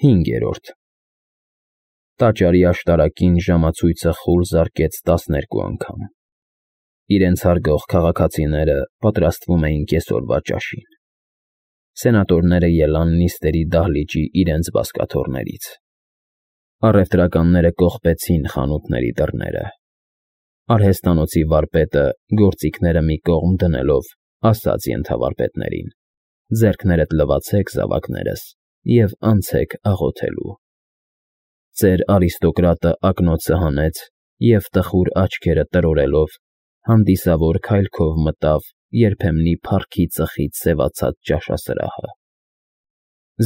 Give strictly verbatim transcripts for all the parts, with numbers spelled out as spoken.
Հինգերորդ Տաճարի աշտարակին ժամացույցը խուլ զարկեց տասներկու անգամ։ Իրենց հարգող քաղաքացիները պատրաստվում էին կեսօրվա ճաշին։ Սենատորները ելան նիստերի դահլիճի իրենց բազկաթոռներից։ Առևտրականները կողպեցին խանութների դռները։ Արհեստանոցի վարպետը, գործիքները մի կողմ դնելով, ասաց ենթավարպետներին. ձեռքներդ լվացեք, զավակներս, և անցեք աղոթելու։ Ծեր արիստոկրատը ակնոցը հանեց և տխուր աչքերը տրորելով հանդիսավոր քայլքով մտավ երբեմնի փառքի ծխից սևացած ճաշասրահը։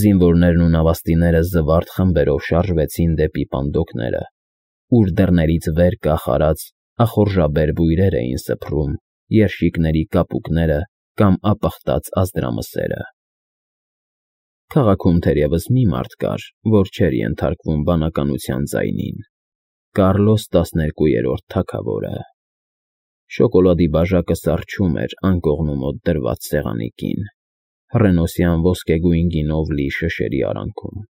Զինվորներն ու նավաստիները զվարթ խմբերով շարժվեցին դեպի պանդոկները, ուր դռներից վեր կախարած ախորժաբեր բույրեր էին սփռում երշիկների կապուկները կամ ապխտած ազդրամսերը։ Քաղաքում թերևս մի մարդ կար, որ չէր ենթարկվում բանականության ձայնին՝ Կառլոս տասներկուերորդ թագավորը։ Շոկոլադի բաժակը սառչում էր անկողնու մոտ դրված սեղանի կին, հռենոսյան ոսկեգույն գինով լի շշերի արանքում։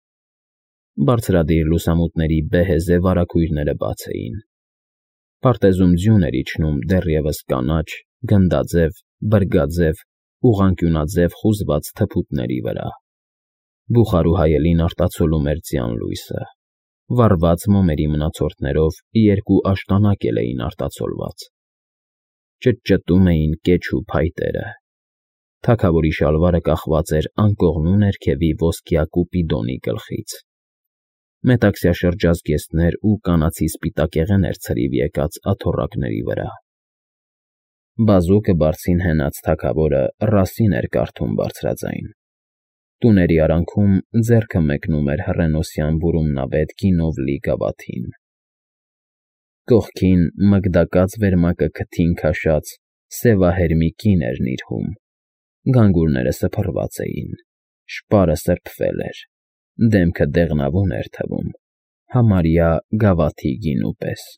Բարձրադիր լուսամուտների բեհեզե վարագույրները բաց էին։ Պարտեզում ձյուն էր իջնում դեռևս կանաչ, գնդաձև, բրգաձև, ուղղանկյունաձև խուզված թփուտների վրա։ Բուխարու հայելին արտացոլում էր ձյան լույսը։ Վառված մոմերի մնացորդներով երկու աշտանակ էլ էին արտացոլված։ Ճտճտում էին կեչ ու փայտերը։ Թագավորի շալվարը կախված էր անկողնու ներքևի ոսկյա կուպիդոնի գլխից։ Մետաքսյա շրջազգեստներ ու կանացի սպիտակեղեն էր ցրիվ եկած աթոռակների վրա։ Բազուկը բարձին հենած թագավորը Ռասին էր կարդում բարձրաձայն։ Տուների արանքում ձեռքը մեկնում էր հռենոսյան բուրումնավետ գինով լի գավաթին։ Կողքին մգդակած վերմակը քթին քաշած սևահեր մի կին էր նիրհում։ Գանգուրները սփռված էին, շպարը սրբվել էր, դեմքը դեղնավուն էր թվում, համարյա գավաթի գինու պես։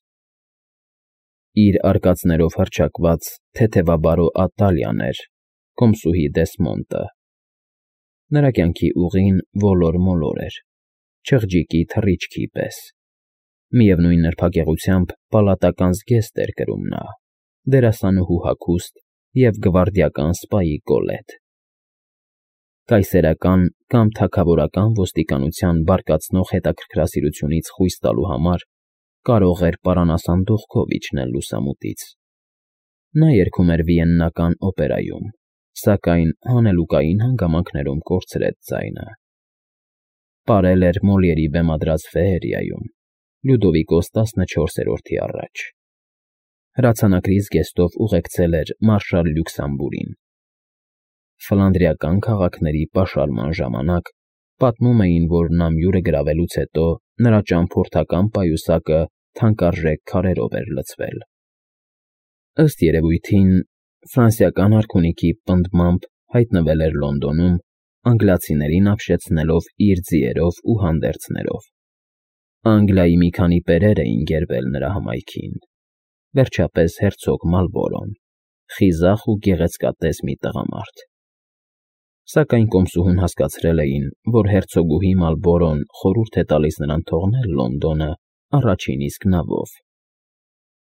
Իր արկածներով հռչակված թեթևաբարո Ատալիան էր, կոմսուհի Դեսմոնդը։ Նրա կյանքի ուղին ոլոր֊մոլոր էր, չղջիկի թռիչքի պես։ Միևնույն նրբագեղությամբ պալատական զգեստ էր կրում նա, դերասանուհու հագուստ և գվարդիական սպայի կոլետ։ Կայսերական կամ թագավորական ոստիկանության բարկացնող հետաքրքրասիրությունից խույս տալու համար կարող էր պարանասանդուղքով իջնել լուսամուտից։ Նա երգում էր Վիեննական օպերայում, սակայն հանելուկային հանգամանքներում կորցրեց ձայնը։ Պարել էր Մոլիերի բեմադրած ֆեերիայում, Լյուդովիկոս տասնչորսերորդի առաջ։ Հրացանակրի զգեստով ուղեկցել էր մարշալ Լյուքսամբուրին։ Ֆլանդրիական քաղաքների պաշարման ժամանակ պատմում էին, որ նամյուրը գրավելուց հետո նրա ճամփորդական պայուսակը թանկարժեք քարերով էր լցվել։ Ըստ երևույթին, ֆրանսիական արքունիքի պնդմամբ հայտնվել էր Լոնդոնում, անգլիացիներին ապշեցնելով իր ձիերով ու հանդերձներով։ Անգլիայի մի քանի պերեր էին գերվել նրա հմայքին, վերջապես հերցոգ Մալբորոն, խիզախ ու գեղեցկատես մի տղամարդ։ Սակայն կոմսուհուն հասկացրել էին, որ հերցոգուհի Մալբորոն խորհուրդ է տալիս նրան թողնել Լոնդոնը առաջին իսկ նավով։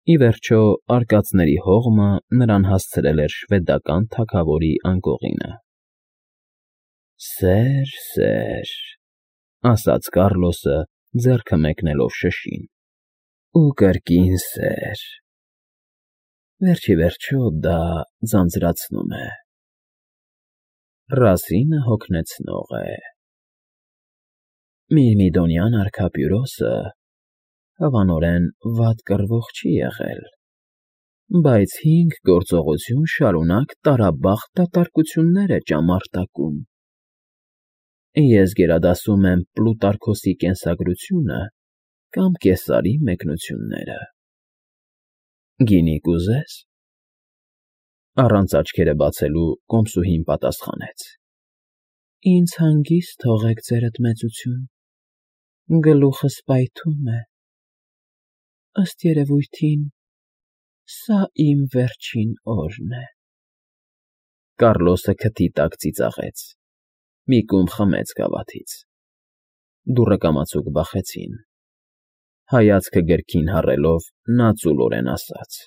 Ի վերջո, արկածների հողմը նրան հասցրել էր շվեդական թագավորի անկողինը։ «Սեր, սեր,֊ ասաց Կառլոսը, ձեռքը մեկնելով շշին,֊ ու կրկին սեր… Վերջիվերջո դա ձանձրացնում է… Ռասինը հոգնեցնող է… Միրմիդոնյան արքա Պյուրոսը, հավանորեն, վատ կռվող չի եղել, բայց հինգ գործողություն շարունակ տարաբախտ դատարկություններ է ճամարտակում… Ես գերադասում եմ Պլուտարքոսի կենսագրությունը կամ Կեսարի մեկնությունները… Գինի կուզե՞ս»։ Առանց աչքերը բացելու կոմսուհին պատասխանեց. «Ինձ հանգիստ թողեք, ձերդ մեծություն, գլուխս պայթում է… Ըստ երևույթին, սա իմ վերջին օրն է»։ Կառլոսը քթի տակ ծիծաղեց, մի կումբ խմեց գավաթից։ դուռը կամացուկ բախեցին։ Հայացքը գրքին հառելով, նա ծուլորեն ասաց.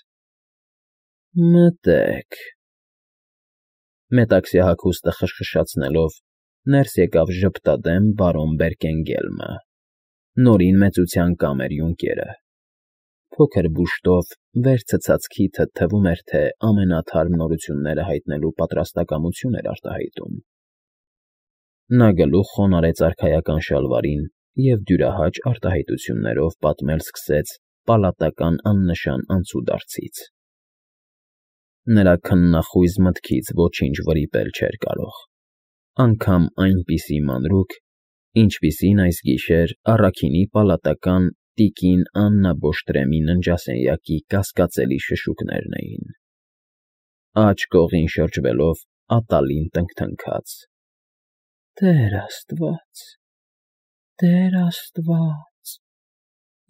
«Մտե՛ք»։ Մետաքսյա հագուստը խշխշացնելով, ներս եկավ ժպտադեմ բարոն Բերկենգելմը, նորին մեծության կամեր յունկերը։ Փոքր բուշտով վեր ցցած քիթը թվում էր, թե ամենաթարմ նորությունները հայտնելու պատրաստակամություն էր արտահայտում։ Նա գլուխ խոնարհեց արքայական շալվարին և դյուրահաճ արտահայտություններով պատմել սկսեց պալատական աննշան անցուդարձից։ Նրա քննախույզ մտքից ոչինչ վրիպել չէր կարող, անգամ այնպիսի մանրուք, ինչպիսին այս գիշեր առաքինի պալատական տիկին Աննա Բոշտրեմի ննջասենյակի կասկածելի շշուկներն էին։ Աջ կողին շրջվելով, ատալին տնքթնքաց. «Տեր Աստված, Տեր Աստված,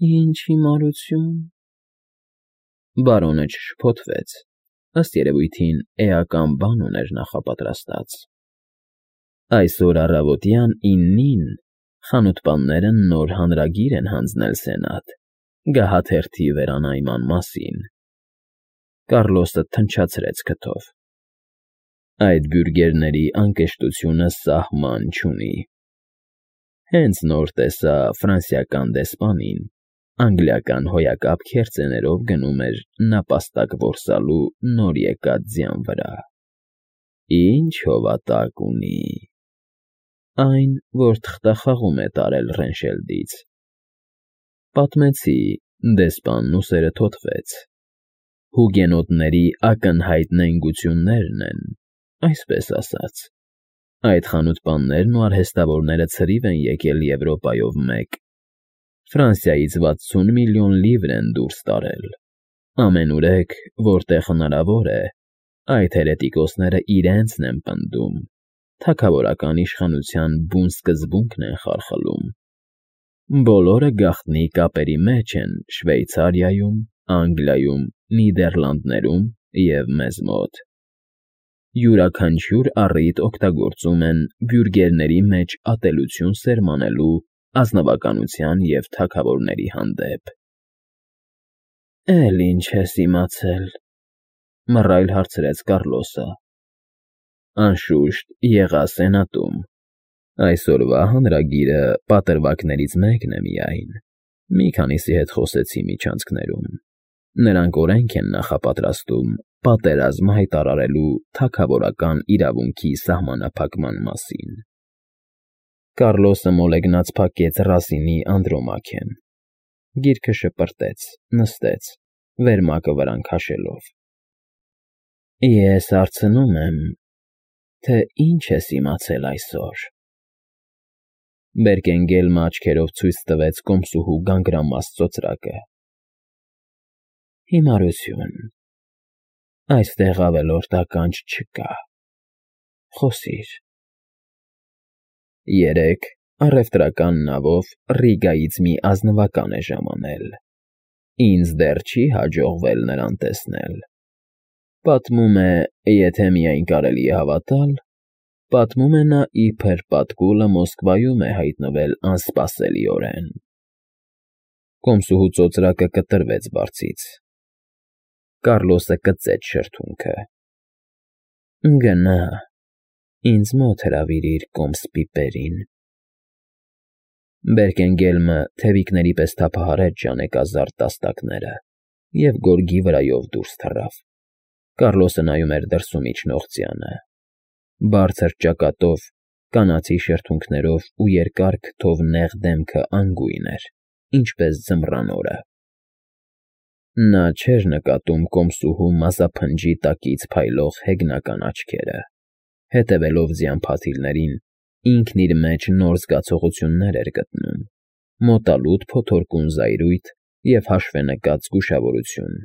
ինչ հիմարություն»։ Բարոնը չշփոթվեց, ըստ երևույթին էական բան ուներ նախապատրաստած։ Այսօր առավոտյան իննին խանութպանները նոր հանրագիր են հանձնել սենատ, գահաթերթի վերանայման մասին։ Կառլոսը թնչացրեց քթով։ Այդ բյուրգերների անկշտությունը սահման չունի։ Հենց նոր տեսա ֆրանսիական դեսպանին, անգլիական հոյակապ քերծեներով գնում էր նապաստակ որսալու նոր եկած ձյան վրա։ Ինչ հովատակ ունի։ Այն, որ թղթախաղում է տարել Ռենշելդից։ Պատմեցի, դեսպանն ուսերը թոթվեց։ Հուգենոտների ակնհայտ նենգություններն են, այսպես ասած։ Այդ խանութպաններն ու արհեստավորները ցրիվ են եկել Եվրոպայով մեկ։ Ֆրանսիայից վաթսուն միլիոն լիվր են դուրս տարել։ Ամենուրեք, որտեղ հնարավոր է, այդ հերետիկոսները իրենցն են պնդում, թագավորական իշխանության բուն սկզբունքն են խարխլում։ Բոլորը գաղտնի կապերի մեջ են Շվեյցարիայում, Անգլիայում, Նիդերլանդներում և մեզ մոտ։ Յուրաքանչյուր առիթ օգտագործում են բյուրգերների մեջ ատելություն սերմանելու ազնվականության և թագավորների հանդեպ։ Էլ ինչ ես իմացել, մռայլ հարցրեց Կառլոսը։ Անշուշտ, եղա սենատում։ Այսօրվա հանրագիրը պատրվակներից մեկն է միայն։ Մի քանիսի հետ խոսեցի միջանցքներում։ Նրանք օրենք են նախապատրաստում պատերազմ հայտարարելու թագավորական իրավունքի սահմանափակման մասին։ Կառլոսը մոլեգնած փակեց Ռասինի Անդրոմակեն։ Գիրքը շպրտեց, նստեց, վերմակը վրան քաշելով։ Ես հարցնում եմ, թե ինչ ես իմացել այսօր։ Բերկենգելմը աչքերով ցույց տվեց կոմսուհու գանգրամած ծոծրակը։ Հիմարություն։ Այստեղ ավելորդ ականջ չկա։ Խոսիր։ Երեկ առևտրական նավով Ռիգայից մի ազնվական է ժամանել։ Ինձ դեռ չի հաջողվել նրան տեսնել։ Պատմում է, եթե միայն կարելի է հավատալ, պատմում է նա իբր պատկուլը Մոսկվայում է հայտնվել անսպասելիորեն։ Կոմսուհու ծոծրակը կտրվեց բարձից։ Կառլոսը կծեց շրթունքը։ Գնա, ինձ մոտ հրավիրիր կոմս պիպերին։ Բերկենգելմը թևիկների պես թափահարեց ժանեկազարդ տաստակները և գորգի վրայով դուրս թռավ։ Կառլոսը նայում էր դրսում իջնող ծյանը։ Բարձր ճակատով, կանացի շրթունքներով ու երկար քթով նեղ դեմքը անգույն էր, ինչպես ձմռան օրը։ Նա չէր նկատում կոմսուհու մազափնջի տակից փայլող հեգնական աչքերը։ Հետևելով ձյան փաթիլներին, ինքն իր մեջ նոր զգացողություններ էր գտնում՝ մոտալուտ փոթորկուն զայրույթ և հաշվենկած զգուշավորություն։